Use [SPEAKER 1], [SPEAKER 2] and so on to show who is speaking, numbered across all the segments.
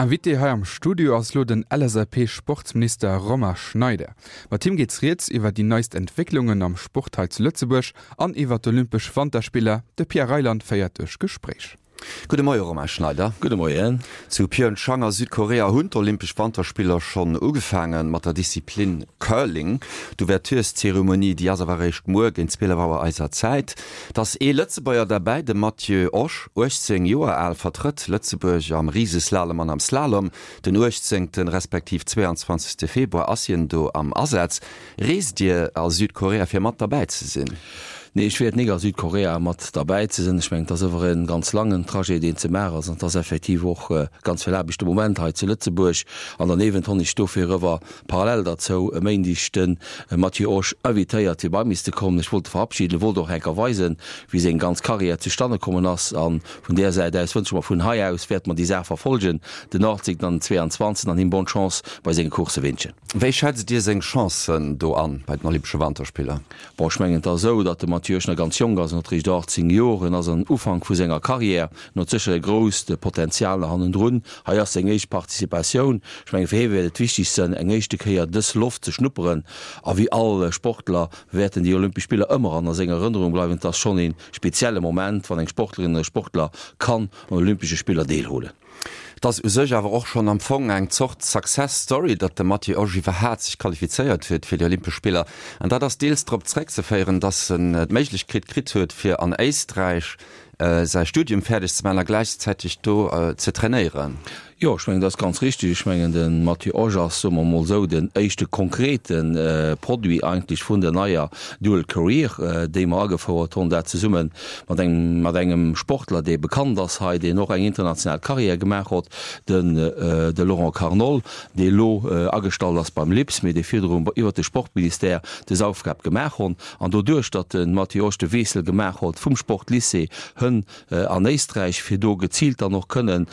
[SPEAKER 1] Invité hei am Studio ass lo den LSAP-Sportsminister Romain Schneider. Mat him geet rieds iwwer déi neist Entwécklungen am Sport hei zu Lëtzebuerg an iwwer d'Olympesch Wanterspiller. De Pierre Reyland féiert duerch d'Gespréich.
[SPEAKER 2] Gudde Moie Romain Schneider.
[SPEAKER 3] Gudde Moien.
[SPEAKER 2] Zu Pyeongchang a Südkorea hunn d'Olympesch Wanterspiller schonn ugefaange mat der Disziplin Curling. D'Ouvertureszeremonie, déi ass awer eréischt muer géint 12 Auer eiser Zäit. Et ass ee Lëtzebuerger derbäi, de Matthieu Osch, 18 Joer al, vertrëtt Lëtzebuerg am Riseslalom an am Slalom. Den 18. Respektiv 22. Februar ass hien do am Asaz. Reest Dir a Südkorea fir mat derbäi ze sinn?
[SPEAKER 3] Nee, ech wäert nik a Südkorea mat derbäi ze sinn. Ech mengen, et ass ëwer e ganz langen Trajet, deen ze maachen ass, an et ass effektiv och ganz vill Aarbecht de Moment hei zu Lëtzebuerg. An derniewent honn ech dofir ëwer parallel derzou e Méindeg de Matthieu Osch invitéiert, fir bei mis ze kommen. Ech wollt e verabschieden, wollt och enker weisen, wéi seng ganz Carrière zustanne kommen ass. A vun där Säit aus wënsche mer, vun hei aus wäerte mer déi Saach verfolgen, den 18. an den 22. an him bonne Chance bei senge Coursse wünschen.
[SPEAKER 2] Wéi schätzt Dir seng Chancen do an bei den Olympesche Wanterspiller?
[SPEAKER 3] Bon, ech mengen, et ass esou, datt de Mathieu Oeschner ganz jonk ass, en huet eréischt 18 Joer, en ass am Ufank vu senger Carrière, en huet sécher e grousst Potenzial nach hannendrun. Hei ass seng éischt Participatioun. Ech mengen, fir hie wäert et wichteg sënn, eng éischte Kéier dës Loft ze schnupperen. A wéi all Sportler wäerten déi Olympesch Spiller ëmmer an a senger Erënnerung bleiwen. Et ass schonn ee spezielle Moment, wann eng Sportlerin oder e Sportler kann un Olympesche Spiller deelhuelen.
[SPEAKER 2] Et ass u sech awer och schonn am Fong eng Zort Success Story, datt de Matthieu Osch iwwerhaat sech qualifizéiert huet fir déi Olympesch Spiller. An dat ass deels drop zeréckzeféieren, datt en d'Méiglechkeet kritt huet, fir an Éisträich säi Studium fäerdeg ze maachen a gläichzäiteg do ze trainéieren.
[SPEAKER 3] Jo, ech mengen, dat ass ganz richtig. Ech mengen, de Matthieu Osch ass, soe mer emol esou, den éischte konkrete Produit eigentlech vun der neier Dual Career, déi mer agefouert hunn, dat zesumme mat engem, mat engem Sportler, dee bekannt ass hei, deen och eng international Carrière gemaach hott, den, de Laurent Carnol, dee elo agestallt ass beim LIPS, mee dee virdru iwwert de Sportministère des Aufgab gemaach honn. An doduerch, datt de Matthieu Osch de Wiessel gemaach hott vum Sportlycée hënn an Éisträich, fir do geziilt dann och kënnen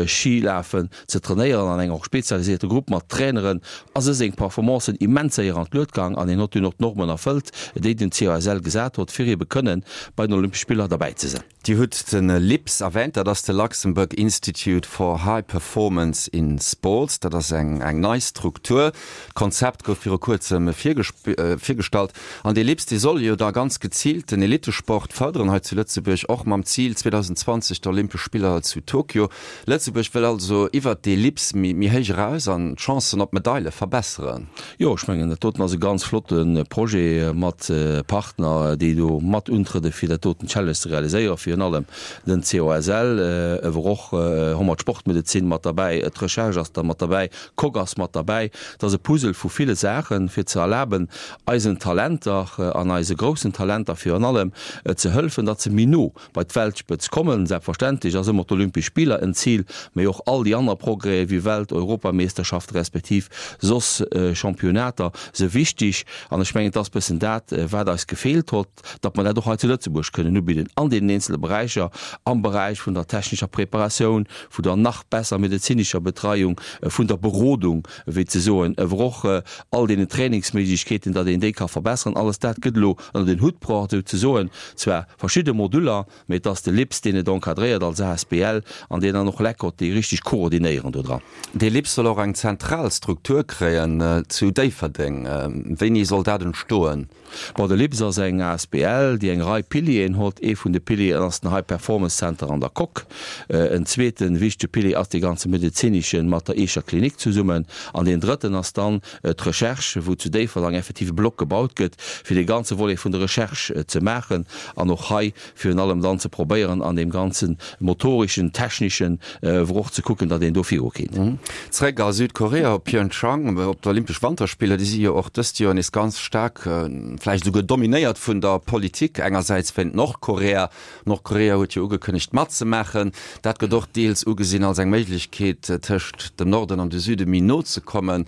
[SPEAKER 3] Schilafen ze trainéieren an enger och spezialiséierte Grupp mat Traineren, ass e seng Performancen immens séier an d'Luet gang an hien hott dunn och d'Normen erfëllt, déi den COSL gesat hott, fir ebe kënnen bei den Olympesche Spiller derbäi ze sinn.
[SPEAKER 2] Dir hutt de LIPS erwähnt, dat ass de Luxembourg Institute for High Performance in Sports. Dat ass eng nei Struktur. D'Konzept gouf viru kuerzem virgestallt. An dee LIPS, dee soll jo da ganz geziilt den Elittesport fërderen hei zu Lëtzebuerg, och mam Zil 2020 d'Olympesch Spiller zu Tokio. Lëtzebuerg wëll also iwwert dee LIPS méi héich eraus an d'Chancen op Medaile verbesseren.
[SPEAKER 3] Jo, ech mengen, dat doten ass e ganz flotte Projet mat Partner, déi do mat untrëdde fir dat doten Challenge ze realiséieren, virun allem den COSL, ewer och hu mer d'Sportmedezin mat derbäi, d'Recherche ass da mat derbäi, d'Coque ass mat derbäi. Et ass e Puzzle vu ville Saachen, fir ze erlaben, eisen Talenter an eise groussen Talenter virun allem ze hëllefen, datt se méi no bei d'Weltspëtz kommen. Selbstverständlech ass ëmmer d'Olympesch Spiller en Zil, mee och all déi aner Progrèse wéi Welt-, Europameesterschafte respektiv soss Championnater se wichteg. An ech mengen, et ass bëssen dat, wat eis gefeelt hott, datt mer dat och hei zu Lëtzebuerg kënnen ubidden an deenen eenzele Beräicher, am Beräich vun der technescher Preparatioun, vun der nach besser medezinescher Betreiung, vun der Berodung, wéi ze soen, ewer och all deenen Trainingsméiglechkeeten, datt een déi ka verbessern. Alles dat gëtt elo ënner den Hutt bruecht, esou ze soen. Zwar verschidde Moduller, mee et ass de LIPS, deen et encadréiert als asbl an deen dann och l'ECOT, déi richteg koordinéieren do dran.
[SPEAKER 2] Dee LIPS soll och eng zentral Struktur kréien zu Déifferdeng. Wéini soll dat entstoen?
[SPEAKER 3] Bon, de LIPS ass eng asbl, déi eng Rei Pilieren hott. Ee vun de Pilieren ass den High Performance Center an der Coque. En zweete wichtege Pilier ass dee ganze medezineschen mat der Eecher Klinik zesummen. An deen drëtten ass dann d'Recherche, wou zu Déifferdang effektiv e Block gebaut gëtt, fir dee ganze Volet vun der Recherche ze maachen an och hei virun allem dann ze probéieren, an deem ganze motoreschen, techneschen, wor och ze kucken, datt een do virukéint.
[SPEAKER 2] Zréck a Südkorea, op Pyeongchang, op d'Olympesch Wanterspiller. Déi si jo och dëst Joer nees ganz staark, vläicht esouguer dominéiert vun der Politik. Engersäits wéint Nordkorea, Nordkorea huet jo ugekënnegt matzemaachen. Dat gëtt och deels ugesinn als eng Méiglechkeet, tëscht dem Norden an de Süde méi no ze kommen.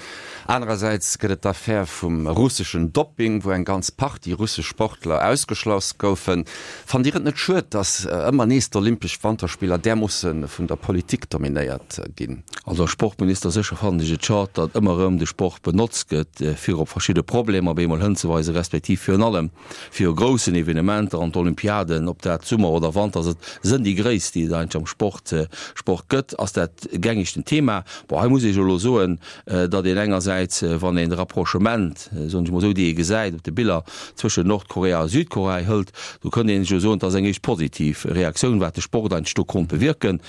[SPEAKER 2] Anerersäits gëtt et d'Affär vum russeschen Dopping, wou eng ganz Partie russesch Sportler ausgeschloss goufen. Fannt Dir et net schued, datt ëmmer nees d'Olympesch Wanterspiller därmoosse vun der Politik dominéiert ginn? nominéiert ginn.
[SPEAKER 3] Also als Sportminister sécher fannen ech et schad, datt ëmmer erëm de Sport benotzt gëtt, fir op verschidde Problemer op eemol hënzeweisen, respektiv virun allem viru groussen Evenementer an d'Olympiaden, ob dat Summer oder Wanter ass, et sënn déi gréisst, déi et eigentlech am Sport Sport gëtt, ass dat gängegten Thema. Bon, hei muss ee jo elo soen, datt een engersäits, wann een de Rapprochement, soen ech mol esou, dee ee gesäit op de Biller zwëschen Nordkorea a Südkorea hëlt, do kënnt een jo soen, et ass eng éischt positiv Reaktioun, wat de Sport eigentlech do konnt bewierken.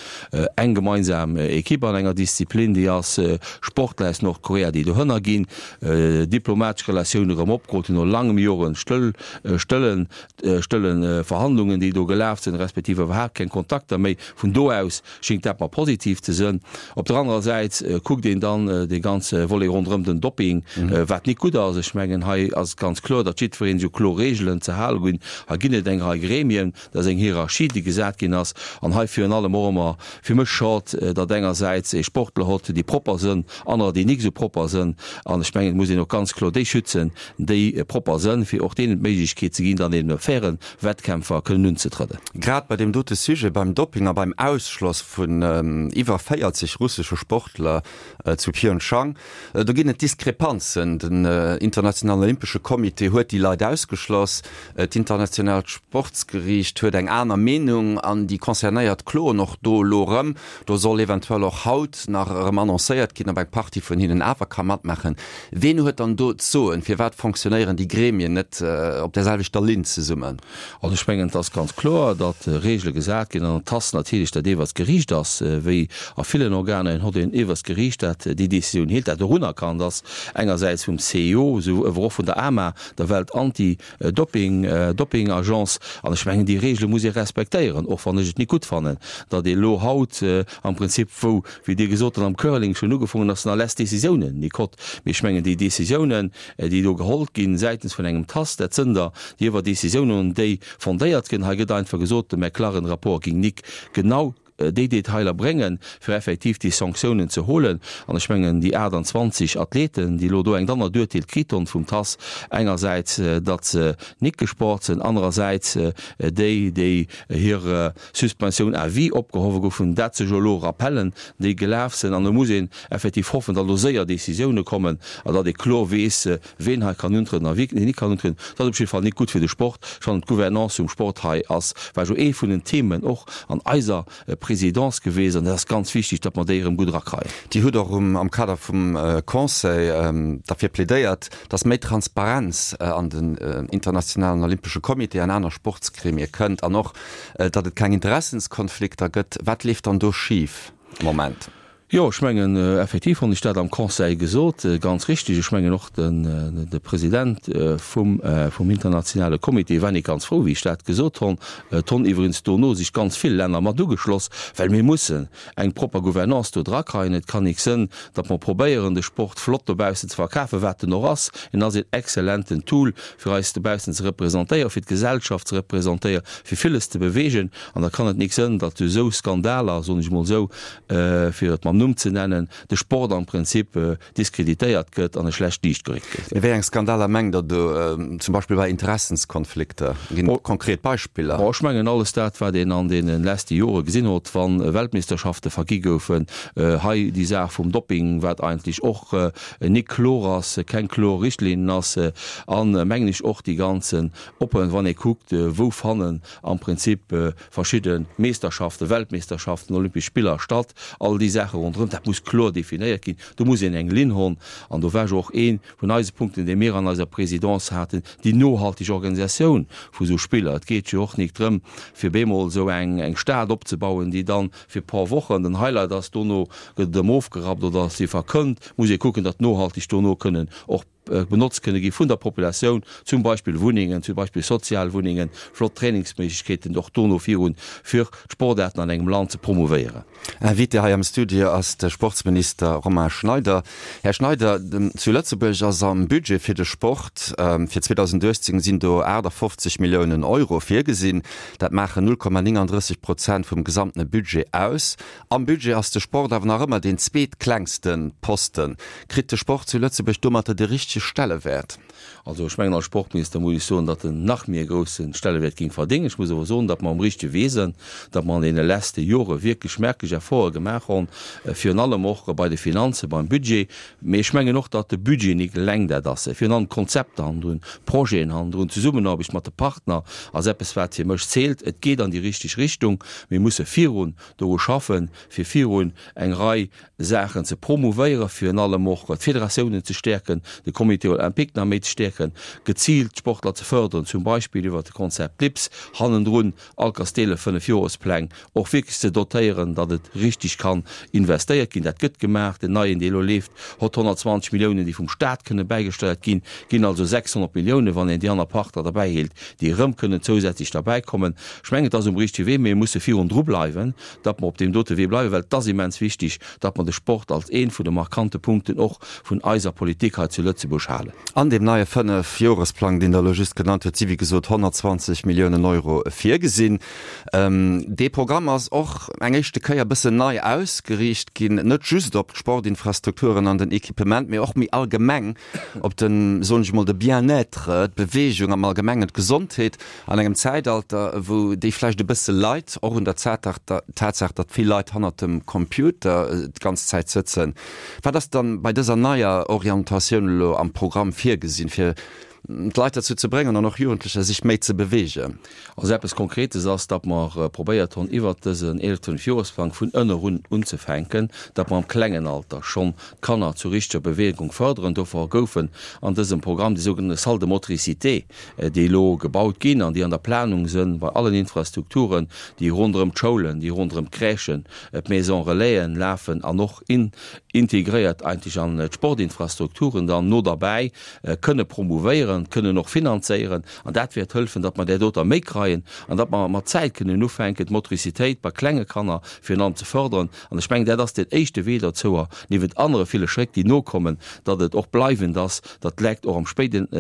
[SPEAKER 3] Eng gemeinsam Equipe an enger Disziplin, déi ass, Sportler aus Nordkorea, déi dohënner ginn, diplomatesch Relatioune erëm opgeholl hunn no langem Joren stëll, stëllen, stëlle Verhandlungen, déi do gelaf sinn, respektiv iwwerhaapt keng Kontakter méi. Vun do aus schéngt dat mer positiv ze sënn. Op der anerer Säit kuckt een dann dee ganze Volet ronderëm den Dopping, wat nik gutt ass. Ech mengen, hei ass et ganz kloer, datt jiddweree sech u kloer Reegelen ze hale ginn. Hei ginn et eng Rei Gremien, dat ass eng Hierarchie, déi gesat ginn ass. An hei virun allem och ëmmer fir mech schad, datt engersäits ee Sportler hott, déi propper sënn, anerer, déi nik esou propper sënn. An ech mengen, et muss een och ganz kloer déi schützen, déi propper sënn, fir och deenen d'Méiglechkeet ze ginn, dann eben op fairen Wettkämpfer kënnen unzetrëdden.
[SPEAKER 2] Grad bei deem dote Sujet, beim Dopping a beim Ausschloss vun iwwer 40 russesche Sportler zu Pyeongchang, do ginn et Diskrepanzen. Den Internationalen Olympesche Comité huet déi Leit ausgeschloss, d'internationaalt Sportsgeriicht huet eng aner Meenung an déi Concernéiert kloen och do elo erëm. Do soll eventuell och haut nach erëm annoncéiert ginn, ob eng Partie vun hinnen awer ka matmaachen. Ween huet dann do d'Soen? Firwat fonctionnéieren déi Gremien net op där selwechter Linn zesummen?
[SPEAKER 3] Also ech mengen, et ass ganz kloer, datt Regele gesat ginn an et ass natierlech dat iewwerst Geriicht ass, wéi a villen Organer, een hott een iewwerst Geriicht, dat déi Décisioun heelt, dat och unerkannt ass engersäits vum CIO, esou ewer och vun der AMA, der Welt-Anti Doping, Doping-Agence. An ech mengen, déi Regele muss ee respektéieren, och wann ech et nik gutt fannen, datt ee elo haut am Prinzip, wou, wéi Dir gesot hutt, am Curling schonn ugefongen ass, nach less Décisiounen nik hott. Mee ech mengen, déi Décisiounen, déi do geholl ginn säitens vun engem TAS, dat sënn der déi iwwer Décisiounen, déi fondéiert ginn. Hei gëtt einfach gesot, de McLaren-Rapport ging nik genau déi Detailer bréngen, fir effektiv déi Sanktiounen ze holen. An ech mengen, déi 28 Athleten, déi elo do eng dannert Urteel kritt hunn vum TAS, engersäits, datt se nik gesport sinn, anerersäits déi, déi hir Suspensioun à vie opgehowe goufen, dat sech elo Rappellen, déi gelaf sinn. An do muss een effektiv hoffen, datt elo séier Décisioune kommen an datt ee kloer weess, ween hei kann untrieden a wien nik kann untrieden. Dat ass op jidde Fall nik gutt fir de Sport. Ech fannen, d'Gouvernance vum Sport hei ass, war jo ee vun den Themen och an eiser Présidence geweest an dat ass ganz wichtig, datt mer déi erëm gutt erakreien.
[SPEAKER 2] Dir hutt och am Kader vum Conseil derfir plädéiert, datt méi Transparenz an den internationalen olympesche Comité an aner Sportsgremie kënnt an och, datt et keng Interessenskonflikter gëtt. Wat leeft dann do schif am Moment?
[SPEAKER 3] Jo, ech mengen, effektiv hunn ech dat am Conseil gesot, ganz richtig. Ech mengen och den, de President vum, vum internationale Comité war nik ganz frou, wéi ech dat gesot honn. Et honn iwwerens dono sech ganz vill Länner mat ugeschloss, well mir mussen eng propper Gouvernance do drakreien. Et kann nik sënn, datt mer probéieren, de Sport flott dobaussen ze verkafen, wat en och ass. En ass een exzellenten Tool, fir eis dobaussen ze representéieren, fir d'Gesellschaft ze representéieren, fir villes ze bewegen. An da kann et nik sënn, datt esou Skandaler, soen ech emol esou, fir et mam Numm ze nennen, de Sport am Prinzip diskreditéiert gëtt an e schlecht Liicht geréckt gëtt.
[SPEAKER 2] Mee wéi eng Skandaler mengt Der do? Zum Beispill bei Interessenskonflikter? Ginn et konkret Beispiller?
[SPEAKER 3] Ech mengen alles dat, wat een an deene leschte Jore gesinn huet, wa Weltmeeschterschafte vergi goufen, hei déi Saach vum Dopping, wat eigentlech och nik kloer ass, keng kloer Richtlinnen ass, a mengen ech och déi ganzen Oppen, wann ee kuckt, wou fannen am Prinzip verschidde Meesterschaften, Weltmeesterschaften, Olympesch Spiller statt, all déi Saache ronderëm, dat muss kloer definéiert ginn. Do muss een eng Linn honn. An do war jo och ee vun eise Punkten, dee mir an eiser Présidence haten, déi nohalteg Organisatioun vu sou Spiller. Et geet jo och nik drëm, fir bemol esou eng eng Stad opzebauen, déi dann fir e paar Wochen den Highlight ass, dono gëtt et erëm ofgerappt oder ass si verkënnt. Muss ee kucken, datt nohalteg dono kënnen och benotzt kënne gi vun der Populatioun, zum Beispill Wunnengen, zum Beispill sozial Wunnengen, flott Trainingsméiglechkeeten och dono virun, fir d'Sportaarten an engem Land ze promouvéieren.
[SPEAKER 2] Invité hei am Studio ass de Sportsminister Romain Schneider. Här Schneider, zu Lëtzebuerg ass am Budget fir de Sport fir 2018 sinn do 58 Milliounen Euro virgesinn. Dat maachen 0,39 Prozent vum gesamtene Budget aus. Am Budget ass de Sport awer nach ëmmer deen zweetklengste Posten. Kritt de Sport zu Lëtzebuerg domatter de richtege. richtege Stellewäert?
[SPEAKER 3] Also ech mengen, als Sportminister muss ech soen, datt en nach méi e grousse Stellewäert géing verdéngen. Ech muss awer soen, datt mer um richtege Wee sënn, datt mer an deene lesste Jore wierklech merklech Efforte gemaach honn, virun allem och bei de Finanzen, beim Budget. Mee ech mengen och, datt de Budget nik eleng dat ass. Virun allem d'Konzepter hannendrun, d'Projeten hannendrun, d'Zesummenaarbecht mat de Partner ass eppes, wat fir mech zählt. Et geet an déi richteg Richtung. Mir musse virun doru schaffen, fir virun eng Rei Saachen ze promouvéieren, virun allem och d'Federatiounen ze stäerken, de Comité olympique nach méi ze stäerken, geziilt d'Sportler ze fërderen, zum Beispill iwwert de Konzept LIPS, hannendrun all Kasteele Fënnefjorespläng och wierklech ze dotéieren, datt et richtig kann investéiert ginn. Dat gëtt gemaach. Den neien, dee elo leeft, hott 120 Milliounen, déi vum Stat kënne bäigesteiert ginn, ginn also 600 Milliounen, wann een déi aner Partner derbäiheelt, déi erëm kënnen zousätzlech derbäikommen. Ech mengen, et ass um richtege Wee, mee mir musse virun dru bleiwen, datt mer op deem dote Wee bleiwen, well et ass immens wichtig, datt mer de Sport als ee vun de markante Punkten och vun eiser Politik hei zu Lëtzebuerg halen.
[SPEAKER 2] An deem neie Fënnefjoresplang, deen Der elo just genannt hutt, si wéi gesot 120 Milliounen Euro virgesinn. Dee Programm ass och eng éischte Kéier e bëssen nei ausgeriicht ginn, net just op d'Sportinfrastrukturen an den Equipement, mee och méi allgemeng op den, soen ech emol, de Bien-être, d'Beweegung am Allgemengen, d'Gesondheet an engem Zäitalter, wou déi vläicht e bësse leit, och un der Tatsaach, datt vill Leit hannert dem Computer d'ganz Zäit sëtzen. Wat ass dann bei dëser neier Orientatioun elo am Programm virgesinn, fir d'Leit derzou ze bréngen an och Jugendlecher, sech méi ze beweegen?
[SPEAKER 3] Also eppes Konkretes ass, datt mer probéiert hunn, iwwert dësen eeleften Fünfjohresplang vun ënnerun unzefänken, datt mer am klengen Alter schonn d'Kanner zur richteger Bewegung fërderen. Dofir goufen an dësem Programm déi sougenannte Salles de motricité, déi elo gebaut ginn an déi an der Planung sënn bei allen Infrastrukturen, déi ronderëm d'Schoulen, déi ronderëm d'Crèchen, d'Maisons Relaisen lafen an och integréiert eigentlech an d'Sportinfrastrukturen dann no derbäi kënne promouvéieren, kënnen och finanzéieren. An dat wäert hëlfen, datt mer där doter méi kreien an datt mer mat Zäit kënnen ufänken, d'Motricitéit bei klenge Kanner virun allem ze fördern. An ech mengen, dat ass deen éischte Wee derzouer, niewent anere ville Schréck, déi nokommen, datt et och bleiwend ass, datt d'Lekt och am spéiden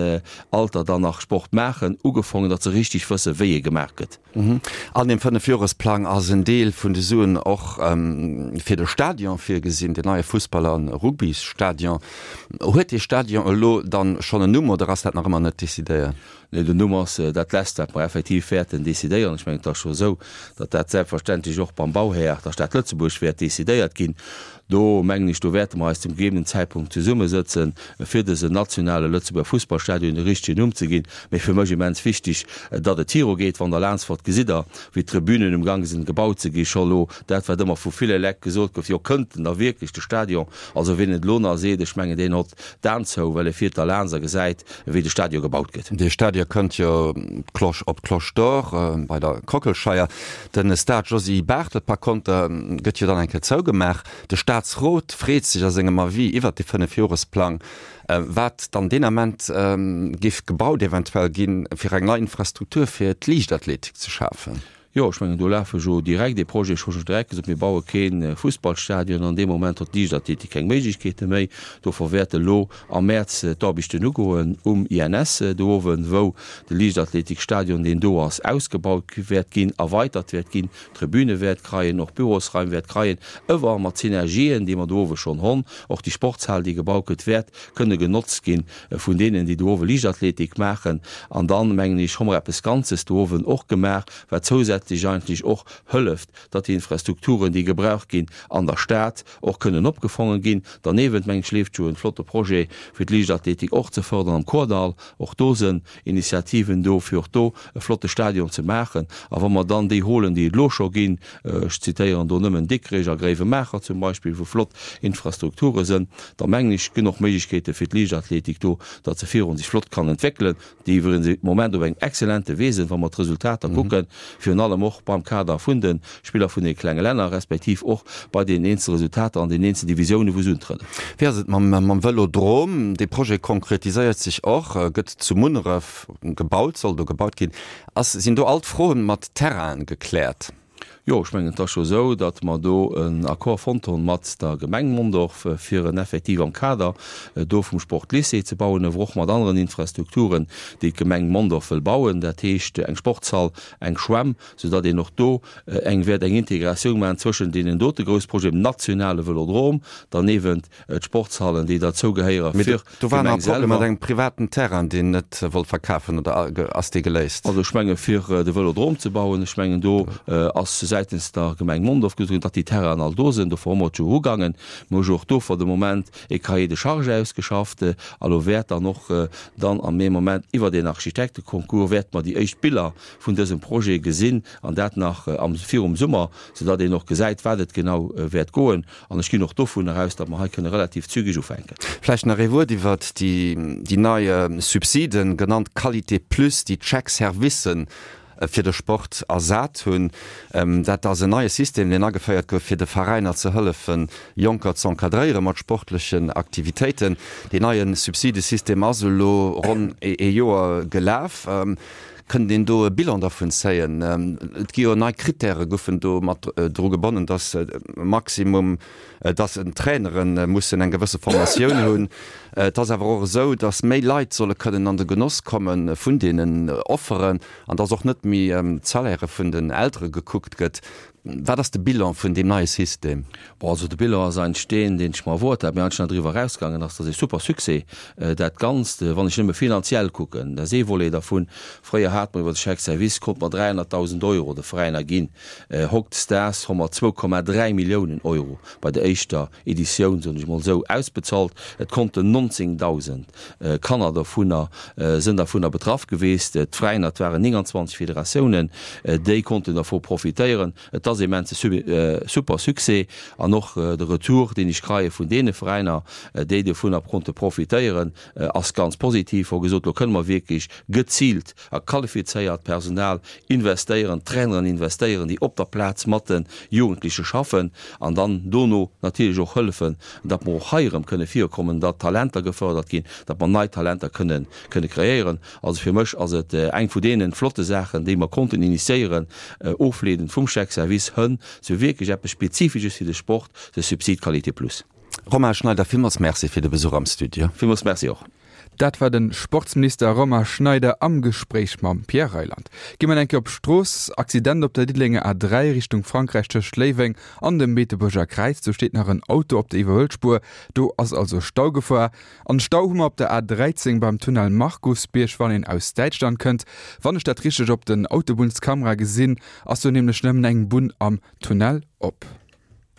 [SPEAKER 3] Alter dann nach Sport maachen, ugefongen, datt se richtig wëssen, wéi e gemaach gëtt.
[SPEAKER 2] An deem Fënnefjoresplang ass en Deel vun de Suen och fir de Stadion virgesinn, den neie Fussball a Rugbysstadion. Huet dee Stadion elo dann schonn en Numm oder ass dat nach ëmmer net decidéiert?
[SPEAKER 3] Nee, den Numm ass dat Lescht, wat mer effektiv wäerten decidéieren. Ech mengen, et ass scho esou, datt dat selbstverständlech och beim Bauhär, der Stad Lëtzebuerg, wäert decidéiert ginn. Do mengen ech, do wäerte mer eis zum gegebenen Zäitpunkt zesummesëtzen, fir dësen nationale Lëtzebuerger Fussballstadion de richtegen Numm ze ginn. Mee fir mech immens wichtig, datt et virugeet. Wann Der laansfort, gesitt Der, wéi d'Tribünen um Gange sinn gebaut ze gi scho elo. Dat, wat ëmmer vu ville Lekt gesot gouf, jo, kënnt en da wierklech, de Stadion? Also wien et elo nach seet, ech mengen, deen hott d'Aen zou, well e fiert da laans a gesäit, wéi de Stadion gebaut gëtt.
[SPEAKER 2] Dee Stadion kënnt jo d'Cloche op d'Cloche d'Or bei der Kockelscheier. De Stade Josy Barthel par konter gëtt jo dann eng Kéier zougemaach. De Staatsrot freet sech a sengem Avis iwwert de Fënnefjoresplang, wat dann deen Ament géif gebaut eventuell ginn, fir eng nei Infrastruktur fir d'Liichtathletik ze schafen.
[SPEAKER 3] Jo, ech mengen, do lafe jo direkt ee Projet, ech hu jo direkt gesot, mir baue kee Fussballstadion. An deem Moment huet d'Liichtathletik keng Méiglechkeete méi. Dofir wäerte elo am Mäerz d'Aarbechten ugoen um INS do owen, wou de Liichtathletikstadion, deen do ass, ausgebaut wäert ginn, erweitert wäert ginn, Tribüne wäert kreien, och Bürosraim wäert kreien, ëwer mat Synergien, déi mer do owe schonn honn. Och déi Sportshal, déi gebaut gëtt, wäert kënne genotzt gi vun deenen, déi do owe Liichtathletik maachen. An dann, mengen ech, hu mer eppes Ganzes do owen och gemaach, wat zousätzlech eigentlech och hëlleft, datt déi Infrastrukturen, déi gebraucht ginn an der Stad, och kënnen opgefongen ginn. Derniewent, mengen ech, leeft jo en flotte Projet, fir d'Liichtathletik och ze fërderen am Kordall. Och do sënn Initiativen do, fir och do e flotte Stadion ze maachen. A wa mer dann déi holen, déi et elo scho ginn, ech zitéieren do nëmmen Dikrech a Gréiwemaacher zum Beispill, wou flott Infrastrukture sënn, da mengen ech, ginn och Méiglechkeete fir d'Liichtathletik do, datt se virun sech flott kann entwéckelen. déi iwwregens de Moment op engem excellente Wee sinn, wa mer d'Resultater kucken, virun allem och beim Kader vun de Spiller vun de klenge Länner, respektiv och bei den eenzele Resultater an den eenzelen Divisiounen, wou se untrëden.
[SPEAKER 2] Wéi ass et mam Vëlodrom? Dee Projet konkretiséiert sech och, gëtt zu Munneref gebaut, soll do gebaut ginn. Ass, sinn do all d'Froen mat Terrainen gekläert?
[SPEAKER 3] Jo, ech mengen, et ass scho esou, datt mer do en Accord fonnt hunn mat der Gemeng Mondorf, fir en effektiv am Kader do vum Sportlycée ze bauen, awer och mat aneren Infrastrukturen, déi d'Gemeng Mondorf wëll bauen, dat heescht eng Sportshall, eng Schwämm, soudatt een och do eng wäert eng Integratioun maachen zwëschen deenen dote grouss Projeten, dem nationale Vëlodrom, derniewent d'Sportshallen, déi derzou gehéiere
[SPEAKER 2] fir Do war nach e Problem mat engem privaten Terrain, deen net wollt verkafen, oder ass dee geléist?
[SPEAKER 3] Also ech menge fir de Vëlodrom ze bauen, ech mengen do ass säitens der Gemeng Mondorf gesot ginn, datt déi Terrainen all do sinn. Dofir hu mer et jo ugaangen. Mir hu jo och do fir de Moment e Cahier de charges ausgeschafft a lo wäert dann och dann am ee Moment iwwert een Architekteconcours wäerte mer déi éischt Biller vun dësem Projet gesinn an dat nach am virum Summer, soudatt een och gesäit, wat et genau wäert goen. An ech ginn och dovunner aus, datt mer hei kënne relativ zügeg ufänken.
[SPEAKER 2] Vläicht nach ee Wuert iwwert déi nei Subsiden, genannt Qualité plus, déi d'Chèques-servicen fir de Sport ersat hunn. Dat ass en neie System, deen ageféiert gouf, fir de Veräiner ze hëllefen, Jonker ze encadréiere mat sportlechen Aktivitéiten. Deen neie Subsidesystem ass elo ronn ee Joer gelaf. Kënnt een do e Bilan dervun zéien? Et gi jo nei Krittäre goufen do mat dru gebonnen, datt Maximum, datt Trainere mussen eng gewësse Formatioun hunn. Et ass awer och esou, datt méi Leit solle kënnen an de Genoss komme vun deenen Offeren an datt och net méi d'Salairë vun den Eltere gekuckt gëtt. Wat ass de Bilan vun deem neie System?
[SPEAKER 3] Bon, also de Bilan ass eigentlech deen, deen ech mer erwoart hat, mee eigentlech nach driwwer erausgaangen ass. Dat ass ee super Succès, dat Ganzt. Wann ech nëmme finanziell kucken, dat ass ee Volet dervun. Fréier hate mer iwwer de Chèque service, konnte mer 300.000 Euro de Veräiner ginn. Hautdesdaags hu mer 2,3 Milliounen Euro bei der éischter Editioun, soen ech emol esou, ausbezalt. Et konnten 19.000 Kanner dovunner, sënn dervunner betraff geweest. D'Veräiner, et waren 29 Federatiounen, déi konnten dervu profitéieren. Et ass immense super Succès an och de Retour, deen ech kreie vun deene Veräiner, déi dovunner konnte profitéieren, ass ganz positiv. Wou gesot, lo kënne mer wierklech geziilt a qualifizéiert Personal investéieren, Traineren investéieren, déi op der Plaz mat de Jugendleche schaffen an dann dono natierlech och hëllefen, datt mer och hei erëm kënne virkommen, datt Talenter gefërdert ginn, datt mer nei Talenter kënne kënne kreéieren. Also fir mech ass et eng vu deene flotte Saachen, déi mer konnten initiéieren, ofleedend vum Chèque service hënn zu wierklech eppes Spezifisches fir de Sport, de Subside Qualité plus.
[SPEAKER 2] Romain Schneider, villmools Merci fir de Besuch am Studio.
[SPEAKER 3] Villmools Merci och.
[SPEAKER 1] Dat war de Sportsminister Romain Schneider am Gespréich mam Pierre Reyland. Gi mer eng Kéier op d'Strooss. Accident op der Diddelenger A3 Richtung Frankräich tëscht Léiweng an dem Beetebuerger Kräiz. Do steet nach en Auto op der Iwwerhuelspuer. Do ass also Staugefor. An Stau hu mer op der A13 beim Tunnel Markusbierg, wann een aus Däitschland kënnt. Wann ech dat richteg op den Autobunnskamera gesinn, ass do nämlech nëmmen eng Bunn am Tunnel op.